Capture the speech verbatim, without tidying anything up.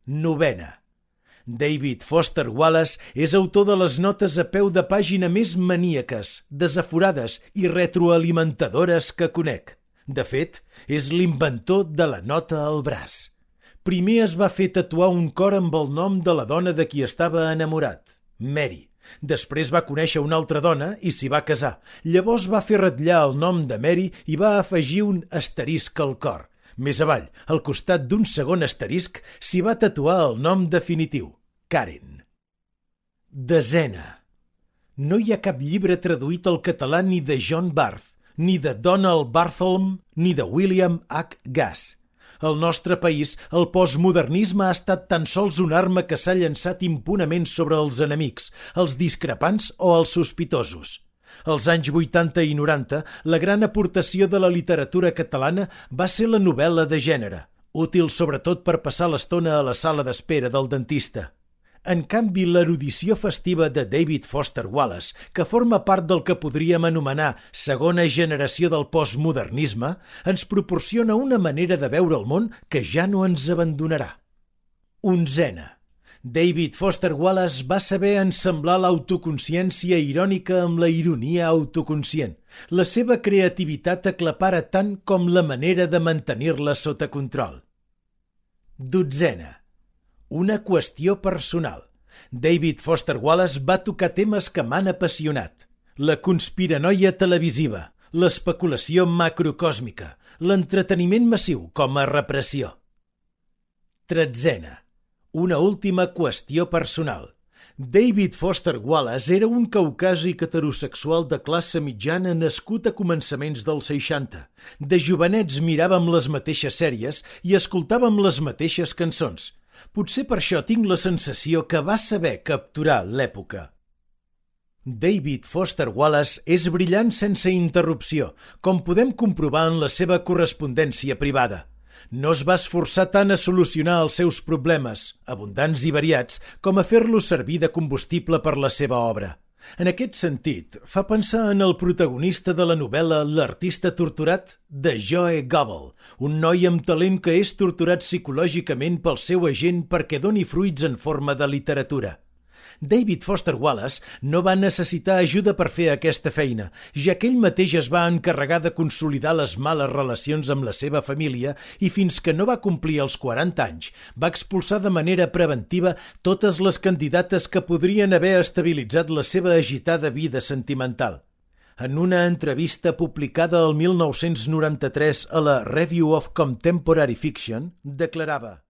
Novena. David Foster Wallace és autor de les notes a peu de pàgina més maníaques, desaforades i retroalimentadores que conec. De fet, és l'inventor de la nota al braç. Primer es va fer tatuar un cor amb el nom de la dona de qui estava enamorat, Mary. Després va conèixer una altra dona i s'hi va casar. Llavors va fer ratllar el nom de Mary i va afegir un asterisc al cor. Més avall, al costat d'un segon asterisc, s'hi va tatuar el nom definitiu, Karen. Desena. No hi ha cap llibre traduït al català ni de John Barth, ni de Donald Barthelme, ni de William H. Gass. Al nostre país, el postmodernisme ha estat tan sols una arma que s'ha llançat impunement sobre els enemics, els discrepants o els sospitosos. Als anys vuitanta i noranta, la gran aportació de la literatura catalana va ser la novel·la de gènere, útil sobretot per passar l'estona a la sala d'espera del dentista. En canvi, l'erudició festiva de David Foster Wallace, que forma part del que podríem anomenar segona generació del postmodernisme, ens proporciona una manera de veure el món que ja no ens abandonarà. Onzena. David Foster Wallace va saber ensamblar l'autoconsciència irònica amb la ironia autoconscient. La seva creativitat aclapara tant com la manera de mantenir-la sota control. Dotzena. Una qüestió personal. David Foster Wallace va tocar temes que m'han apassionat. La conspiranoia televisiva, l'especulació macrocòsmica, l'entreteniment massiu com a repressió. Tretzena. Una última qüestió personal. David Foster Wallace era un caucàsic heterosexual de classe mitjana nascut a començaments dels seixanta. De jovenets miràvem les mateixes sèries i escoltàvem les mateixes cançons. Potser per això tinc la sensació que va saber capturar l'època. David Foster Wallace és brillant sense interrupció, com podem comprovar en la seva correspondència privada. No es va esforçar tant a solucionar els seus problemes, abundants i variats, com a fer-los servir de combustible per la seva obra. En aquest sentit, fa pensar en el protagonista de la novel·la L'artista torturat, de Joe Goble, un noi amb talent que és torturat psicològicament pel seu agent perquè doni fruits en forma de literatura. David Foster Wallace no va necessitar ajuda per fer aquesta feina, ja que ell mateix es va encarregar de consolidar les males relacions amb la seva família i fins que no va complir els quaranta anys va expulsar de manera preventiva totes les candidates que podrien haver estabilitzat la seva agitada vida sentimental. En una entrevista publicada el mil nou-cents noranta-tres a la Review of Contemporary Fiction, declarava: